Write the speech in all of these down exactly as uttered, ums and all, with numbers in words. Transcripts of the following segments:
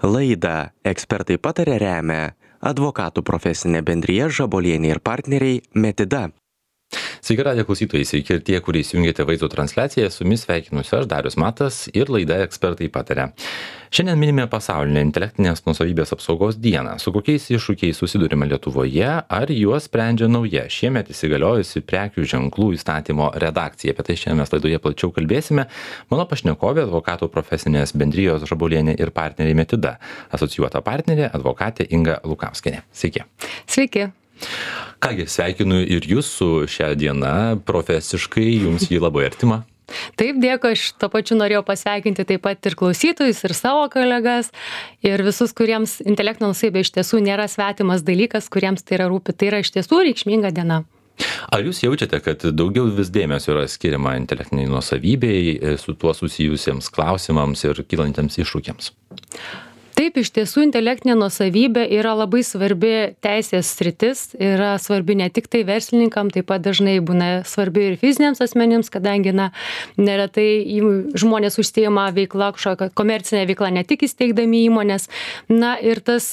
Laidą Ekspertai pataria remia advokatų profesinė bendrija Žabolienė ir partneriai Metida. Sveiki, radijo klausytojai, sveiki ir tie, kurie įsijungėte vaizdo transliaciją, su jumis sveikinuosi aš, Darius Matas, ir laida Ekspertai pataria. Šiandien minime pasaulinę intelektinės nuosavybės apsaugos dieną. Su kokiais iššūkiais susidurime Lietuvoje, ar juos sprendžia nauja šiemet įsigaliojusi prekių ženklų įstatymo redakcija. Apie tai šiandien mes laidoje plačiau kalbėsime. Mano pašnekovė advokatų profesinės bendrijos Žabolienė ir partneriai Metida, asocijuota partnerė advokatė Inga Lukauskienė. Sveiki. Sveiki. Kągi, sveikinu ir jūs su šią dieną, profesiškai jums jį labai artima. Taip, dėkui, aš to pačiu norėjau pasveikinti taip pat ir klausytojus, ir savo kolegas, ir visus, kuriems intelektinė nuosavybė iš tiesų nėra svetimas dalykas, kuriems tai yra rūpi. Tai yra iš tiesų reikšminga diena. Ar jūs jaučiate, kad daugiau vis dėmesio yra skiriama intelektiniai nuosavybei, su tuo susijusiems klausimams ir kylantiems iššūkiams? Taip, iš tiesų intelektinė nuosavybė yra labai svarbi teisės sritis, yra svarbi ne tik tai verslininkam, taip pat dažnai būna svarbi ir fiziniams asmenims, kadangi na, neretai žmonės užsiima veikla, kažkokia komercinė veikla, ne tik įsteigdami įmonės. Na ir tas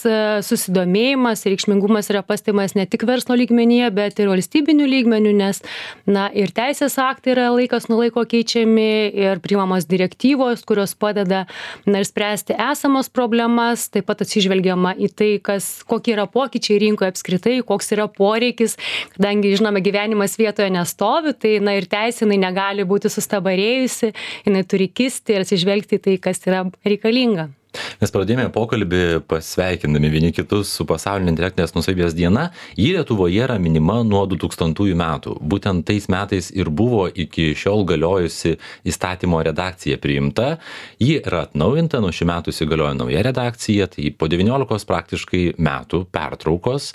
susidomėjimas, reikšmingumas yra pastebimas ne tik verslo lygmenyje, bet ir valstybinių lygmenių, nes na, ir teisės aktai yra laikas nuo laiko keičiami ir priimamos direktyvos, kurios padeda na, spręsti esamos problemas. Taip pat atsižvelgiama į tai, kas, kokie yra pokyčiai rinkoje apskritai, koks yra poreikis, kadangi, žinome, gyvenimas vietoje nestovi, tai na, ir teisė jinai negali būti sustabarėjusi, jinai turi kisti ir atsižvelgti į tai, kas yra reikalinga. Mes pradėjome pokalbį pasveikindami vieni kitus su pasaulinė intelektinės nuosavybės diena. Ji Lietuvoje yra minima nuo du tūkstantųjų metų. Būtent tais metais ir buvo iki šiol galiojusi įstatymo redakcija priimta. Ji yra atnaujinta, nuo šių metų įsigaliojo nauja redakcija, tai po devyniolikos praktiškai metų pertraukos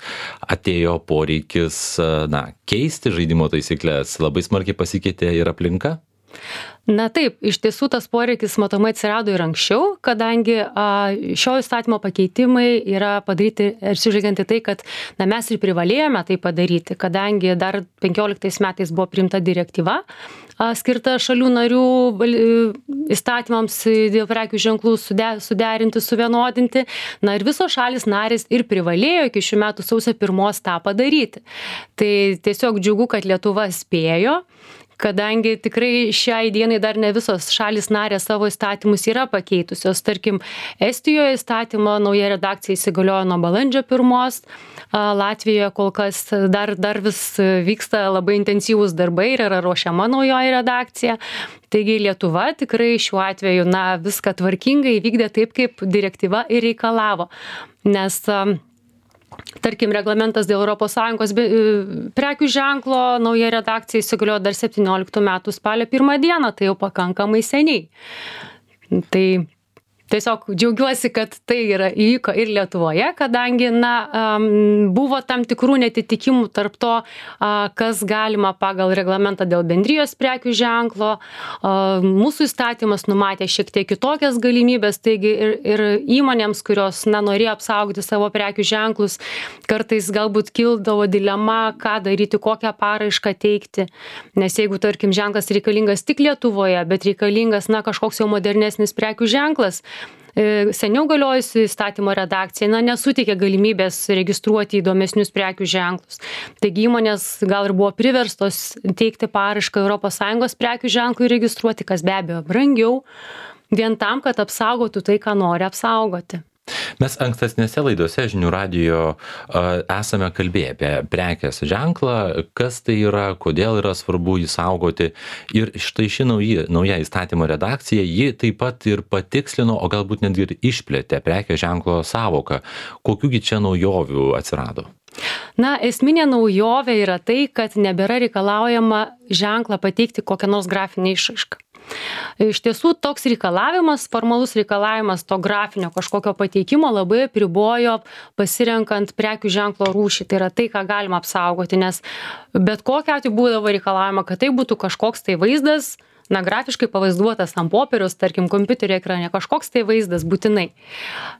atėjo poreikis na, keisti žaidimo taisyklės. Labai smarkiai pasikeitė ir aplinka. Na taip, iš tiesų tas poreikis matomai atsirado ir anksčiau, kadangi a, šio įstatymo pakeitimai yra padaryti ir sužiūrėti tai, kad na, mes ir privalėjome tai padaryti, kadangi dar penkioliktais metais buvo priimta direktyva a, skirta šalių narių val, įstatymams dėl prekių ženklų sude, suderinti, suvienodinti. Na ir visos šalis narės ir privalėjo iki šių metų sausio pirmos tą padaryti. Tai tiesiog džiugu, kad Lietuva spėjo, kadangi tikrai šiai dienai dar ne visos šalis narės savo įstatymus yra pakeitusios. Tarkim, Estijoje įstatymo nauja redakcija įsigaliojo nuo balandžio pirmos, Latvijoje kol kas dar, dar vis vyksta labai intensyvūs darbai ir yra ruošiama naujoji redakcija. Taigi Lietuva tikrai šiuo atveju na, viską tvarkingai vykdė taip, kaip direktyva ir reikalavo. Nes tarkim, reglamentas dėl Europos Sąjungos prekių ženklo nauja redakcija įsigaliojo dar septynioliktų metų spalio pirmą dieną, tai jau pakankamai seniai. Tai tiesiog džiaugiuosi, kad tai yra įvyko ir Lietuvoje, kadangi na, buvo tam tikrų netitikimų tarp to, kas galima pagal reglamentą dėl bendrijos prekių ženklo. Mūsų įstatymas numatė šiek tiek kitokias galimybės, taigi ir, ir įmonėms, kurios na, norėjo apsaugoti savo prekių ženklus, kartais galbūt kildavo dilema, ką daryti, kokią paraišką teikti. Nes jeigu, tarkim, ženklas reikalingas tik Lietuvoje, bet reikalingas na, kažkoks jau modernesnis prekių ženklas, seniau galiojusi įstatymo redakcija na, nesuteikė galimybės registruoti įdomesnius prekių ženklus. Taigi įmonės gal ir buvo priverstos teikti paraišką Europos Sąjungos prekių ženklui registruoti, kas be abejo brangiau, vien tam, kad apsaugotų tai, ką nori apsaugoti. Mes ankstesnėse laidose žinių radijo esame kalbėję apie prekės ženklą, kas tai yra, kodėl yra svarbu jį saugoti. Ir štai ši nauja, nauja įstatymo redakcija, ji taip pat ir patikslino, o galbūt netgi ir išplėtė prekės ženklo sąvoką. Kokiųgi čia naujovių atsirado? Na, esminė naujovė yra tai, kad nebėra reikalaujama ženklą pateikti kokią nors grafinę išraišką. Iš tiesų, toks reikalavimas, formalus reikalavimas to grafinio kažkokio pateikimo labai apribojo pasirenkant prekių ženklo rūšį. Tai yra tai, ką galima apsaugoti, nes bet kokiu atveju būdavo reikalavima, kad tai būtų kažkoks tai vaizdas, na, grafiškai pavaizduotas ant popieriaus, tarkim, kompiuterio ekrane, kažkoks tai vaizdas būtinai.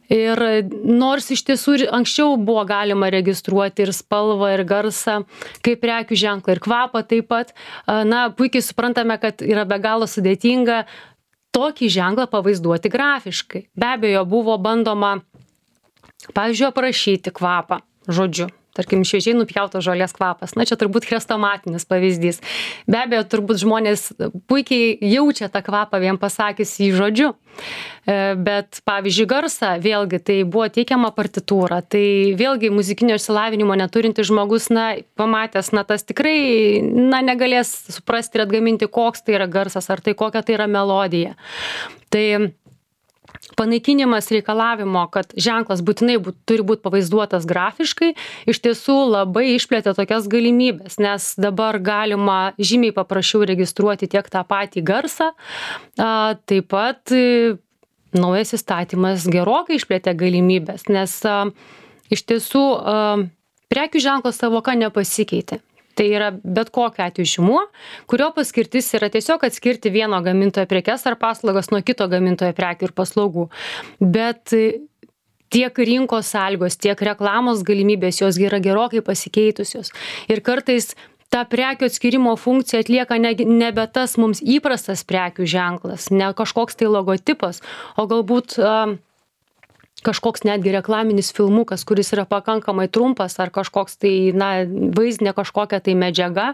Ir nors iš tiesų anksčiau buvo galima registruoti ir spalvą, ir garsą, kaip prekių ženklą, ir kvapą taip pat, na, puikiai suprantame, kad yra be galo sudėtinga tokį ženklą pavaizduoti grafiškai. Be abejo, buvo bandoma, pavyzdžiui, aprašyti kvapą žodžiu. Tarkim, šviežiai nupjautos žolės kvapas. Na, čia turbūt chrestomatinis pavyzdys. Be abejo, turbūt žmonės puikiai jaučia tą kvapą vien pasakys jį žodžiu. Bet, pavyzdžiui, garsą, vėlgi, tai buvo teikiama partitūra. Tai vėlgi muzikinio išsilavinimo neturintis žmogus, na, pamatęs, na, tas tikrai, na, negalės suprasti ir atgaminti, koks tai yra garsas, ar tai kokia tai yra melodija. Tai panaikinimas reikalavimo, kad ženklas būtinai būt, turi būti pavaizduotas grafiškai, iš tiesų labai išplėtė tokias galimybės, nes dabar galima žymiai paprasčiau registruoti tiek tą patį garsą, a, taip pat e, naujas įstatymas gerokai išplėtė galimybės, nes a, iš tiesų a, prekių ženklo savoka nepasikeitė. Tai yra bet kokiu atveju žymuo, kurio paskirtis yra tiesiog atskirti vieno gamintojo prekes ar paslaugas nuo kito gamintojo prekių ir paslaugų. Bet tiek rinkos sąlygos, tiek reklamos galimybės, jos yra gerokai pasikeitusios. Ir kartais ta prekių atskirimo funkcija atlieka ne, nebe tas mums įprastas prekių ženklas, ne kažkoks tai logotipas, o galbūt uh, kažkoks netgi reklaminis filmukas, kuris yra pakankamai trumpas, ar kažkoks tai, na, vaizdinė kažkokia tai medžiaga,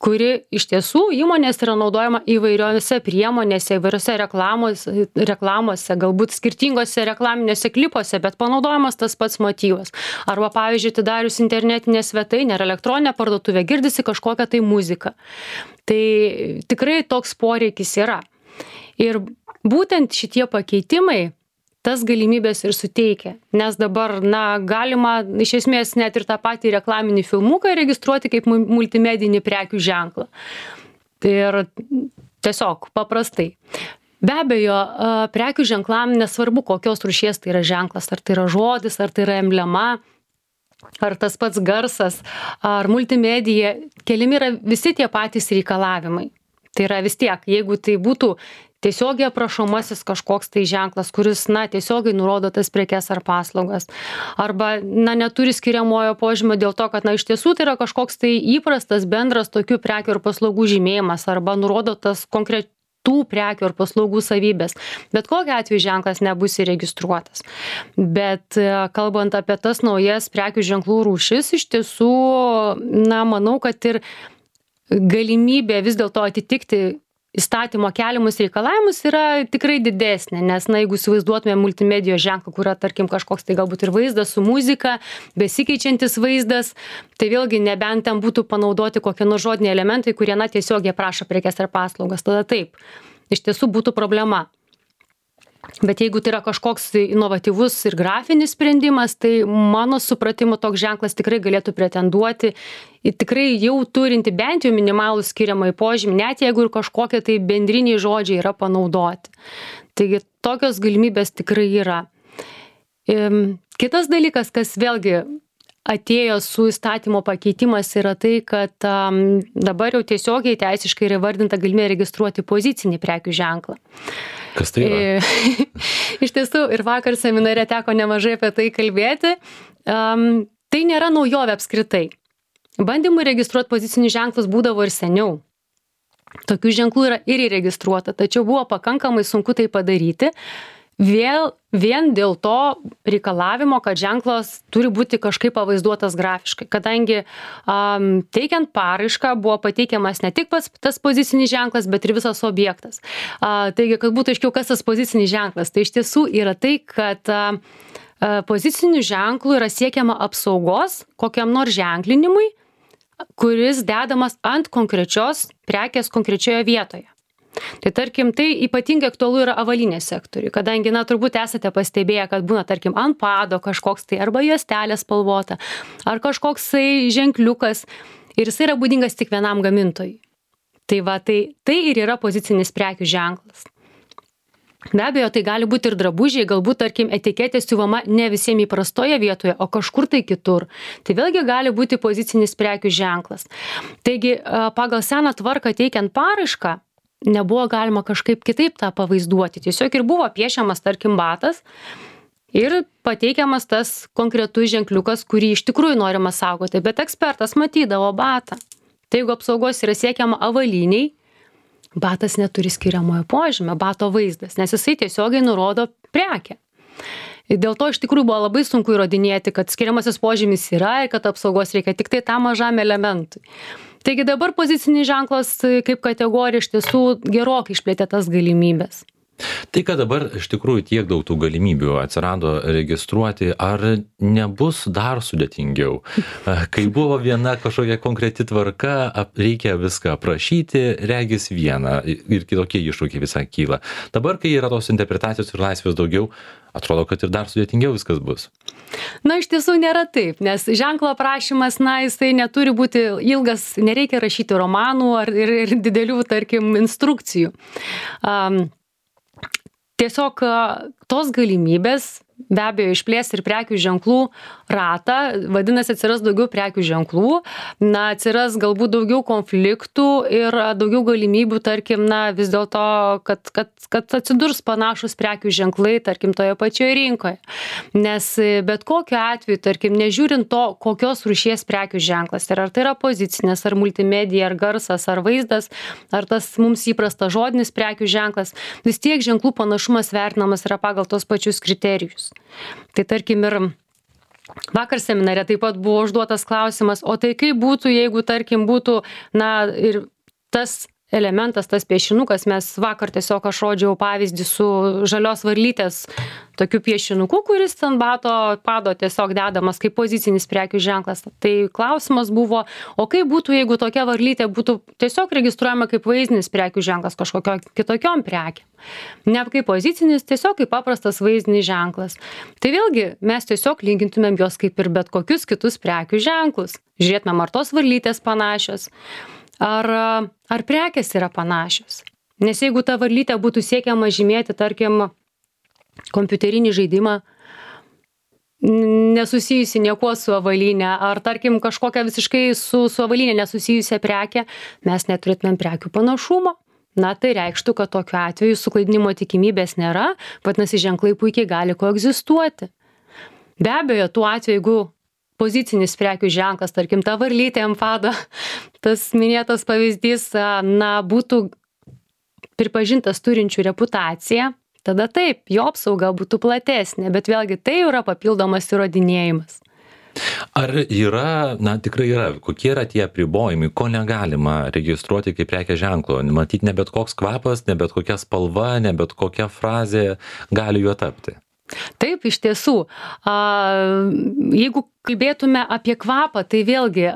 kuri iš tiesų įmonės yra naudojama įvairiose priemonėse, įvairiose reklamos, reklamose, galbūt skirtingose reklaminėse klipuose, bet panaudojamas tas pats motyvas. Arba, pavyzdžiui, atidarius internetinę svetainę ar elektroninę parduotuvę, girdisi kažkokią tai muziką. Tai tikrai toks poreikis yra. Ir būtent šitie pakeitimai tas galimybės ir suteikia, nes dabar, na, galima iš esmės net ir tą patį reklaminį filmuką registruoti kaip multimedinį prekių ženklą. Ir tiesiog paprastai. Be abejo, prekių ženklam nesvarbu, kokios rūšies tai yra ženklas, ar tai yra žodis, ar tai yra emblema, ar tas pats garsas, ar multimedija, keliami yra visi tie patys reikalavimai. Tai yra vis tiek, jeigu tai būtų tiesiogiai aprašomasis kažkoks tai ženklas, kuris, na, tiesiogiai nurodo tas prekes ar paslaugas. Arba, na, neturi skiriamojo požymio dėl to, kad, na, iš tiesų tai yra kažkoks tai įprastas bendras tokių prekių ir paslaugų žymėjimas, arba nurodo tas konkretų prekių ir paslaugų savybės. Bet kokiu atveju ženklas nebus įregistruotas. Bet kalbant apie tas naujas prekių ženklų rūšis, iš tiesų, na, manau, kad ir galimybė vis dėlto atitikti įstatymo keliamus reikalavimus yra tikrai didesnė, nes, na, jeigu įsivaizduotume multimedijos ženklą, kur yra, tarkim, kažkoks tai galbūt ir vaizdas su muzika, besikeičiantis vaizdas, tai vėlgi nebent ten būtų panaudoti kokie nors žodiniai elementai, kurie, na, tiesiog jie prašo prekes ar paslaugas, tada taip, iš tiesų būtų problema. Bet jeigu tai yra kažkoks inovatyvus ir grafinis sprendimas, tai mano supratimu toks ženklas tikrai galėtų pretenduoti į tikrai jau turinti bent jau minimalų skiriamąjį požymį, net jeigu ir kažkokie tai bendriniai žodžiai yra panaudoti. Taigi tokios galimybės tikrai yra. Kitas dalykas, kas vėlgi atėjo su įstatymo pakeitimas, yra tai, kad um, dabar jau tiesiogiai teisiškai yra vardinta galimybė registruoti pozicinį prekių ženklą. Kas tai yra? Iš tiesų, ir vakar seminare teko nemažai apie tai kalbėti. Um, tai nėra naujovė apskritai. Bandymų registruoti pozicinius ženklus būdavo ir seniau. Tokių ženklų yra ir įregistruota, tačiau buvo pakankamai sunku tai padaryti. Vėl, vien dėl to reikalavimo, kad ženklas turi būti kažkaip pavaizduotas grafiškai, kadangi um, teikiant paraišką buvo pateikiamas ne tik pats tas pozicinis ženklas, bet ir visas objektas. Uh, taigi, kad būtų aiškiau, kas tas pozicinis ženklas, tai iš tiesų yra tai, kad uh, poziciniu ženklu yra siekiama apsaugos kokiam nors ženklinimui, kuris dedamas ant konkrečios prekės konkrečioje vietoje. Tai tarkim, tai ypatingai aktualu yra avalynės sektoriui, kadangi, na, turbūt esate pastebėję, kad būna, tarkim, ant pado kažkoks tai arba juostelė spalvota, ar kažkoks tai ženkliukas ir jis yra būdingas tik vienam gamintojui. Tai va, tai, tai ir yra pozicinis prekių ženklas. Be abejo, tai gali būti ir drabužiai, galbūt, tarkim, etiketė siuvama ne visiems įprastoje vietoje, o kažkur tai kitur. Tai vėlgi gali būti pozicinis prekių ženklas. Taigi, pagal seną tvarką teikiant paraišką, nebuvo galima kažkaip kitaip tą pavaizduoti. Tiesiog ir buvo piešiamas, tarkim, batas ir pateikiamas tas konkretus ženkliukas, kurį iš tikrųjų norima saugoti. Bet ekspertas matydavo batą. Tai jeigu apsaugos yra siekiama avaliniai, batas neturi skiriamojo požymio, bato vaizdas, nes jisai tiesiogiai nurodo prekę. Dėl to iš tikrųjų buvo labai sunku įrodinėti, kad skiriamasis požymis yra ir kad apsaugos reikia tik tai tam mažam elementui. Taigi dabar pozicinis ženklas kaip kategorija iš tiesų gerokai išplėtė tas galimybės. Tai, kad dabar iš tikrųjų tiek daug tų galimybių atsirado registruoti, ar nebus dar sudėtingiau? Kai buvo viena kažkokia konkreti tvarka, reikia viską aprašyti, regis vieną ir kitokie iššūkiai visai kyla. Dabar, kai yra tos interpretacijos ir laisvės daugiau, atrodo, kad ir dar sudėtingiau viskas bus. Na, iš tiesų nėra taip, nes ženklo aprašymas, na, jisai neturi būti ilgas, nereikia rašyti romanų ar ir, ir didelių, tarkim, instrukcijų. Um, Tiesiog tos galimybės be abejo išplės ir prekių ženklų ratą, vadinasi, atsiras daugiau prekių ženklų, na, atsiras galbūt daugiau konfliktų ir daugiau galimybių, tarkim, na, vis dėlto, kad, kad, kad atsidurs panašus prekių ženklai, tarkim, toje pačioje rinkoje. Nes bet kokiu atveju, tarkim, nežiūrint to, kokios rūšies prekių ženklas, ir ar tai yra pozicinės, ar multimedija, ar garsas, ar vaizdas, ar tas mums įprastas žodinis prekių ženklas, vis tiek ženklų panašumas vertinamas yra pagal tos pačius kriterijus. Tai tarkim ir vakar seminare taip pat buvo užduotas klausimas, o tai kaip būtų, jeigu tarkim būtų, na, ir tas elementas, tas piešinukas, mes vakar tiesiog aš rodžiau pavyzdį su žalios varlytės tokiu piešinuku, kuris ant bato pado tiesiog dedamas kaip pozicinis prekių ženklas. Tai klausimas buvo, o kaip būtų, jeigu tokia varlytė būtų tiesiog registruojama kaip vaizdinis prekių ženklas kažkokio kitokiom prekiam. Ne kaip pozicinis, tiesiog kaip paprastas vaizdinis ženklas. Tai vėlgi mes tiesiog lygintumėm juos kaip ir bet kokius kitus prekių ženklus. Žiūrėtumėm, ar tos varlytės panašios. Ar, ar prekės yra panašios. Nes jeigu ta varlytė būtų siekiama žymėti, tarkim, kompiuterinį žaidimą, nesusijusi niekuo su avalyne, ar tarkim kažkokią visiškai su, su avalyne nesusijusią prekę, mes neturėtumėm prekių panašumo. Na, tai reikštų, kad tokiu atveju suklaidinimo tikimybės nėra, vadinasi, ženklai puikiai gali koegzistuoti. Be abejo, tuo atveju, jeigu pozicinis prekių ženklas, tarkim, ta varlytė ant pado, tas minėtas pavyzdys, na, būtų pripažintas turinčių reputaciją, tada taip, jo apsauga būtų platesnė, bet vėlgi tai yra papildomas įrodinėjimas. Ar yra, na, tikrai yra, kokie yra tie apribojimai, ko negalima registruoti kaip prekės ženklo? Matyt, ne bet koks kvapas, ne bet kokia spalva, ne bet kokia frazė gali juo tapti. Taip, iš tiesų. Jeigu kalbėtume apie kvapą, tai vėlgi,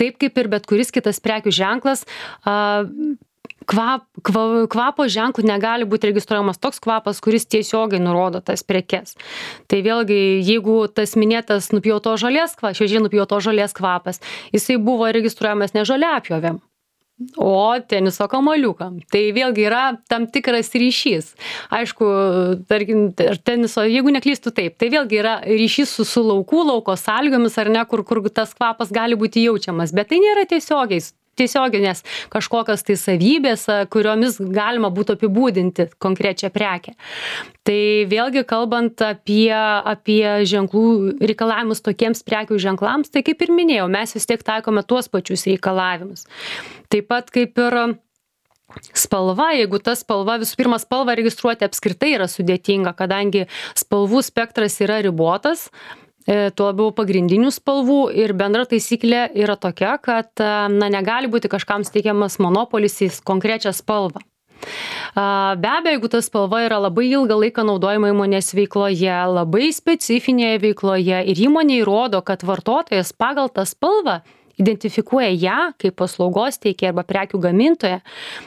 taip kaip ir bet kuris kitas prekių ženklas, kvap, kvapo ženklų negali būti registruojamas toks kvapas, kuris tiesiogiai nurodo tas prekes. Tai vėlgi, jeigu tas minėtas nupjauto žolės kvapas, šviežiai nupjauto žolės kvapas, jisai buvo registruojamas ne žoliapjovėm, o teniso kamuoliukam. Tai vėlgi yra tam tikras ryšys. Aišku, tarkim, teniso, jeigu neklystu taip, tai vėlgi yra ryšys su, su laukų, lauko sąlygomis, ar ne, kur, kur tas kvapas gali būti jaučiamas, bet tai nėra tiesiogiai. tiesioginės kažkokios tai savybės, kuriomis galima būtų apibūdinti konkrečią prekę. Tai vėlgi kalbant apie, apie ženklų reikalavimus tokiems prekių ženklams, tai kaip ir minėjau, mes vis tiek taikome tuos pačius reikalavimus. Taip pat kaip ir spalva, jeigu ta spalva, visų pirma, spalvą registruoti apskritai yra sudėtinga, kadangi spalvų spektras yra ribotas, tuo labiau pagrindinių spalvų ir bendra taisyklė yra tokia, kad na, negali būti kažkam steikiamas monopolis į konkrečią spalvą. Be abejo, jeigu ta spalva yra labai ilgą laiką naudojama įmonės veikloje, labai specifinėje veikloje ir įmonė įrodo, kad vartotojas pagal tą spalvą identifikuoja ją kaip paslaugos teikėją arba prekių gamintoją,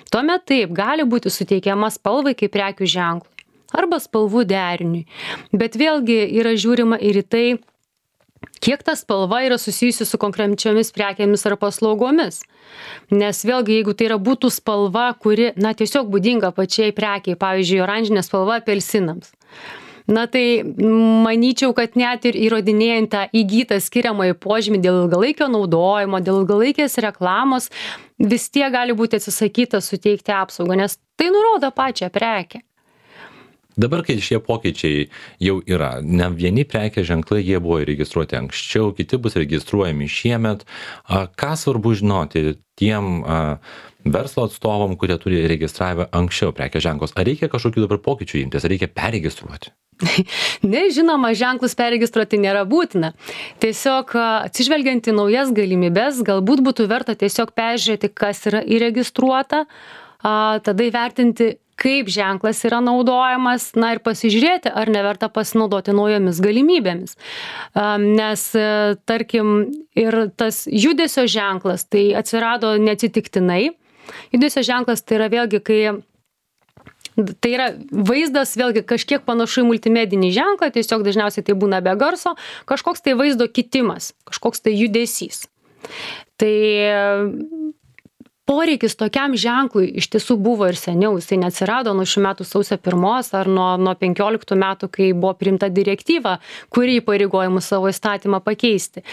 tuomet taip gali būti suteikiama spalvai kaip prekių ženklui arba spalvų deriniui. Bet vėlgi yra žiūrima ir į tai, kiek ta spalva yra susijusi su konkrečiomis prekėmis ar paslaugomis. Nes vėlgi, jeigu tai yra būtų spalva, kuri, na, tiesiog būdinga pačiai prekiai, pavyzdžiui, oranžinė spalva apelsinams. Na tai manyčiau, kad net ir įrodinėjant tą įgytą skiriamąjį požymį dėl ilgalaikio naudojimo, dėl ilgalaikės reklamos, vis tiek gali būti atsisakyta suteikti apsaugą, nes tai nurodo pačią prekę. Dabar, kai šie pokyčiai jau yra, ne vieni prekės ženklai, jie buvo įregistruoti anksčiau, kiti bus registruojami šiemet. Ką svarbu žinoti tiem verslo atstovam, kurie turi registravę anksčiau prekės ženklus? Ar reikia kažkokių dabar pokyčių imtis, ar reikia perregistruoti? Ne, žinoma, ženklus perregistruoti nėra būtina. Tiesiog atsižvelgiant į naujas galimybės, galbūt būtų verta tiesiog peržiūrėti, kas yra įregistruota, tada įvertinti, kaip ženklas yra naudojamas, na ir pasižiūrėti, ar neverta pasinaudoti naujomis galimybėmis. Nes, tarkim, ir tas judesio ženklas, tai atsirado neatsitiktinai. Judesio ženklas tai yra vėlgi, kai tai yra vaizdas, vėlgi kažkiek panašu į multimedinį ženklą, tiesiog dažniausiai tai būna be garso, kažkoks tai vaizdo kitimas, kažkoks tai judesys. Tai poreikis tokiam ženklui iš tiesų buvo ir seniau, jisai neatsirado nuo šių metų sausio pirmos ar nuo, nuo penkioliktų metų, kai buvo priimta direktyva, kuri įpareigoja mus savo įstatymą pakeisti.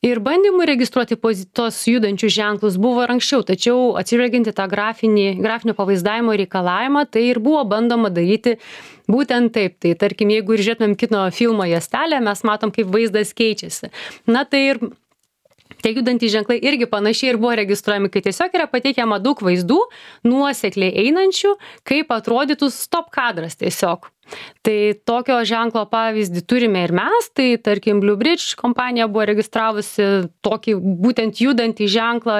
Ir bandymų registruoti tos judančius ženklus buvo ir anksčiau, tačiau atsižvelgiant į tą grafinį, grafinio pavaizdavimo reikalavimą, tai ir buvo bandoma daryti būtent taip. Tai tarkim, jeigu ir žiūrėtumėm kino filmo juostelę, mes matom, kaip vaizdas keičiasi. Na tai ir tie judantys ženklai irgi panašiai ir buvo registruojami, kai tiesiog yra pateikiama daug vaizdų, nuosekliai einančių, kaip atrodytų stop kadras tiesiog. Tai tokio ženklo pavyzdį turime ir mes, tai tarkim Blue Bridge kompanija buvo registravusi tokį būtent judantį ženklą,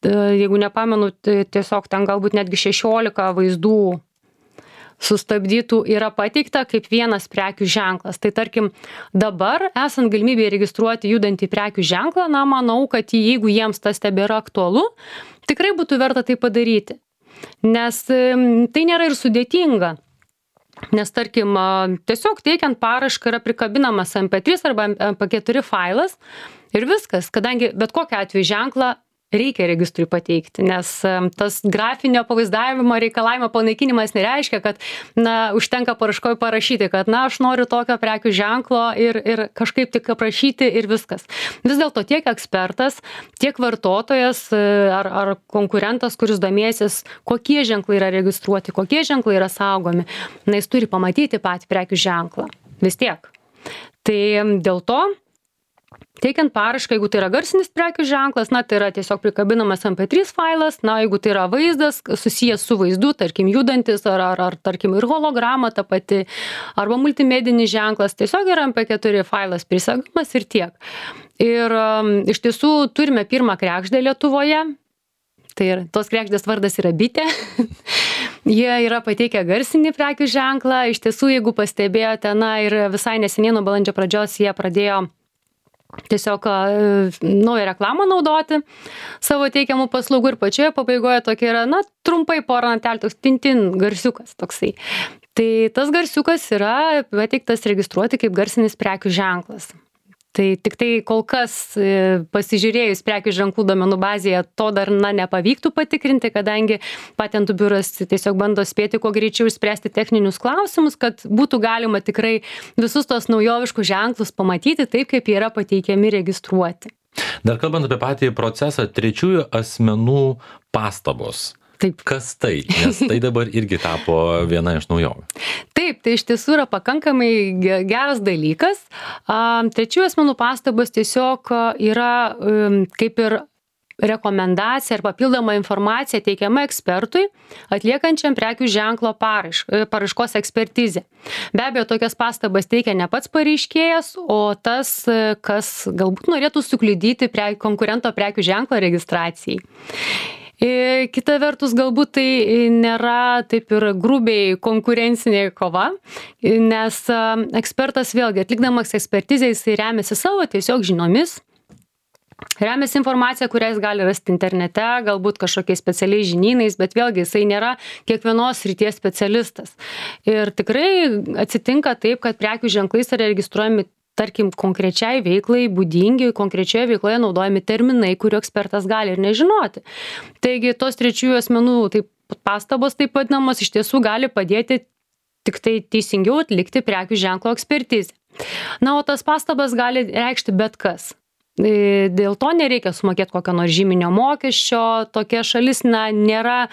jeigu nepamenu, tai tiesiog ten galbūt netgi šešiolika vaizdų sustabdytų yra pateikta kaip vienas prekių ženklas. Tai tarkim, dabar esant galimybėje registruoti judantį prekių ženklą, na, manau, kad jeigu jiems tas tebėra aktualu, tikrai būtų verta tai padaryti. Nes tai nėra ir sudėtinga. Nes tarkim, tiesiog teikiant paraišką yra prikabinamas em pe trys arba em pe keturi failas ir viskas, kadangi bet kokiu atveju ženklą reikia registrui pateikti, nes tas grafinio pavaizdavimo reikalavimo panaikinimas nereiškia, kad, na, užtenka paraiškoje parašyti, kad, na, aš noriu tokio prekių ženklo ir, ir kažkaip tik aprašyti ir viskas. Vis dėlto tiek ekspertas, tiek vartotojas ar, ar konkurentas, kuris domėsis, kokie ženklai yra registruoti, kokie ženklai yra saugomi, na, jis turi pamatyti patį prekių ženklą. Vis tiek. Tai dėl to teikiant paraišką, jeigu tai yra garsinis prekių ženklas, na, tai yra tiesiog prikabinamas em pe trys failas, na, jeigu tai yra vaizdas susijęs su vaizdu, tarkim, judantis, ar, ar, ar tarkim, ir holograma ta pati, arba multimedinis ženklas, tiesiog yra em pe keturi failas prisegamas ir tiek. Ir um, iš tiesų turime pirmą kregždę Lietuvoje, tai ir tos kregždės vardas yra bitė. Jie yra pateikę garsinį prekių ženklą, iš tiesų, jeigu pastebėjote, na, ir visai neseniai nuo balandžio pradžios jie pradėjo tiesiog naują reklamą naudoti savo teikiamų paslaugų ir pačioje pabaigoje tokia yra, na, trumpai porą natelių, toks tintin garsiukas toksai. Tai tas garsiukas yra pateiktas registruoti kaip garsinis prekių ženklas. Tai tik tai kol kas pasižiūrėjus prekių ženklų duomenų bazėje to dar, na, nepavyktų patikrinti, kadangi patentų biuras tiesiog bando spėti kuo greičiau išspręsti techninius klausimus, kad būtų galima tikrai visus tos naujoviškus ženklus pamatyti taip, kaip jie yra pateikiami registruoti. Dar kalbant apie patį procesą, trečiųjų asmenų pastabos. Taip. Kas tai? Nes tai dabar irgi tapo viena iš naujovių. Taip, tai iš tiesų yra pakankamai geras dalykas. Trečiųjų asmenų pastabos tiesiog yra kaip ir rekomendacija ar papildoma informacija teikiama ekspertui, atliekančiam prekių ženklo paraiškos ekspertizę. Be abejo, tokias pastabas teikia ne pats pareiškėjas, o tas, kas galbūt norėtų sukliudyti pre, konkurento prekių ženklo registracijai. Kita vertus, galbūt tai nėra taip ir grubiai konkurencinė kova, nes ekspertas vėlgi atlikdamas ekspertizę, jisai remiasi savo tiesiog žiniomis, remiasi informacija, kurią jis gali rasti internete, galbūt kažkokiais specialiais žinynais, bet vėlgi jisai nėra kiekvienos srities specialistas. Ir tikrai atsitinka taip, kad prekių ženklais yra registruojami tarkim, konkrečiai veiklai būdingi, konkrečioje veikloje naudojami terminai, kurių ekspertas gali ir nežinoti. Taigi, tos trečiųjų asmenų taip, pastabos, taip vadinamos, iš tiesų gali padėti tik tai teisingiau atlikti prekių ženklo ekspertizę. Na, o tas pastabas gali reikšti bet kas. Dėl to nereikia sumokėti kokio nors žyminio mokesčio, tokia šalis na, nėra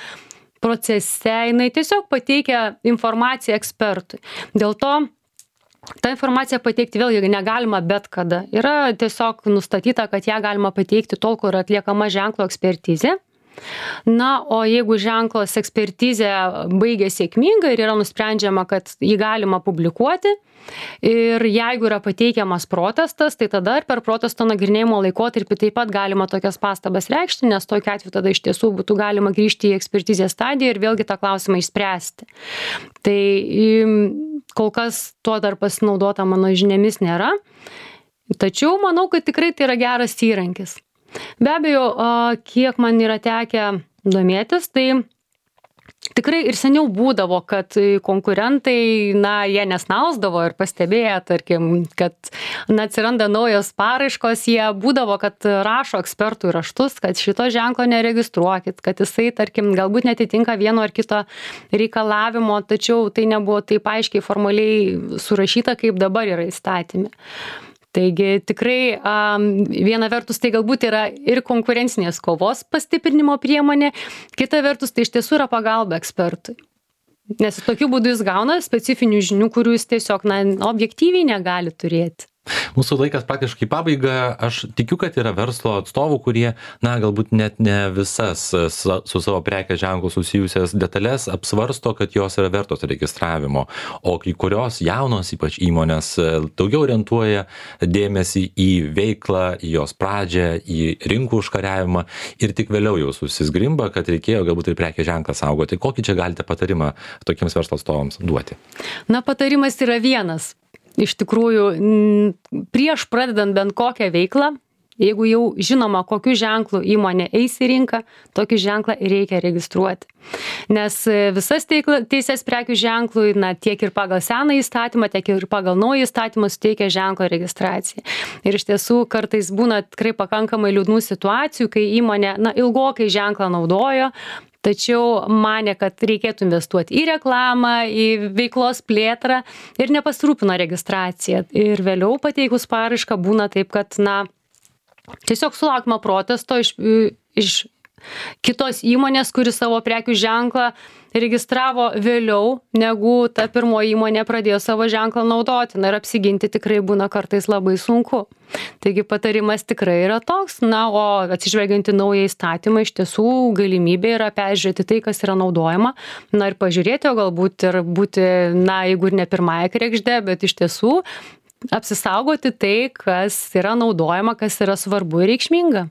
procese, jinai tiesiog pateikia informaciją ekspertui. Dėl to tą informaciją pateikti vėlgi negalima bet kada. Yra tiesiog nustatyta, kad ją galima pateikti tol, kur atliekama ženklo ekspertizė. Na, o jeigu ženklos ekspertizė baigia sėkmingai ir yra nusprendžiama, kad jį galima publikuoti, ir jeigu yra pateikiamas protestas, tai tada ir per protesto nagrinėjimo laikotarpį taip pat galima tokias pastabas reikšti, nes tokiu atveju tada iš tiesų būtų galima grįžti į ekspertizės stadiją ir vėlgi tą klausimą išspręsti. Tai kol kas tuo dar pasinaudota mano žiniomis nėra, tačiau manau, kad tikrai tai yra geras įrankis. Be abejo, kiek man yra tekę domėtis, tai tikrai ir seniau būdavo, kad konkurentai, na, jie nesnausdavo ir pastebėję, tarkim, kad na, atsiranda naujos paraiškos, jie būdavo, kad rašo ekspertų raštus, kad šito ženklo neregistruokit, kad jisai, tarkim, galbūt netitinka vieno ar kito reikalavimo, tačiau tai nebuvo taip aiškiai formaliai surašyta, kaip dabar yra įstatyme. Taigi tikrai viena vertus tai galbūt yra ir konkurencinės kovos pastiprinimo priemonė, kita vertus tai iš tiesų yra pagalba ekspertui. Nes tokiu būdu jis gauna specifinių žinių, kurių jis tiesiog na, objektyviai negali turėti. Mūsų laikas praktiškai pabaiga. Aš tikiu, kad yra verslo atstovų, kurie, na, galbūt net ne visas su savo prekės ženklu susijusias detalės apsvarsto, kad jos yra vertos registravimo, o kai kurios jaunos, ypač įmonės, daugiau orientuoja dėmesį į veiklą, į jos pradžią, į rinkų užkariavimą ir tik vėliau jau susizgrimba, kad reikėjo galbūt ir prekės ženklą saugoti. Kokį čia galite patarimą tokiems verslo atstovams duoti? Na, patarimas yra vienas. Iš tikrųjų, prieš pradedant bent kokią veiklą, jeigu jau žinoma, kokiu ženklu įmonė eis į rinką, tokį ženklą reikia registruoti. Nes visas teisės prekių ženklui, na, tiek ir pagal seną įstatymą, tiek ir pagal naują įstatymą suteikia ženklo registraciją. Ir iš tiesų kartais būna tikrai pakankamai liūdnų situacijų, kai įmonė, na, ilgokai ženklą naudojo, tačiau manė, kad reikėtų investuoti į reklamą, į veiklos plėtrą ir nepasirūpino registraciją. Ir vėliau pateikus paraišką būna taip, kad, na, tiesiog sulaukima protesto iš, iš kitos įmonės, kuri savo prekių ženklą registravo vėliau, negu ta pirmoji įmonė pradėjo savo ženklą naudoti. Na ir apsiginti tikrai būna kartais labai sunku. Taigi patarimas tikrai yra toks, na, o atsižvelgiant į naują įstatymą, iš tiesų galimybė yra peržiūrėti tai, kas yra naudojama, na ir pažiūrėti, o galbūt ir būti, na, jeigu ir ne pirmąją kregždę, bet iš tiesų apsisaugoti tai, kas yra naudojama, kas yra svarbu ir reikšminga.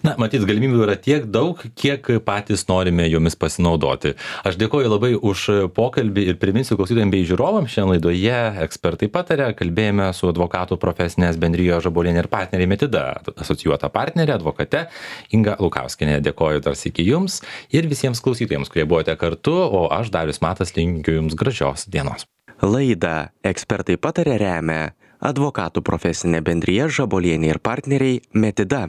Na, matyt, galimybių yra tiek daug, kiek patys norime jomis pasinaudoti. Aš dėkoju labai už pokalbį ir priminsiu klausytojams bei žiūrovams, šiandien laidoje ekspertai pataria, kalbėjome su advokatų profesinės bendrijos Žabolienė ir partneriai Metida asocijuota partnerė, advokate Inga Lukauskienė. Dėkoju dar sykį jums ir visiems klausytojams, kurie buvote kartu, o aš, Darius Matas, linkiu jums gražios dienos. Laidą ekspertai pataria remia advokatų profesinė bendrija Žabolienė ir partneriai Metida.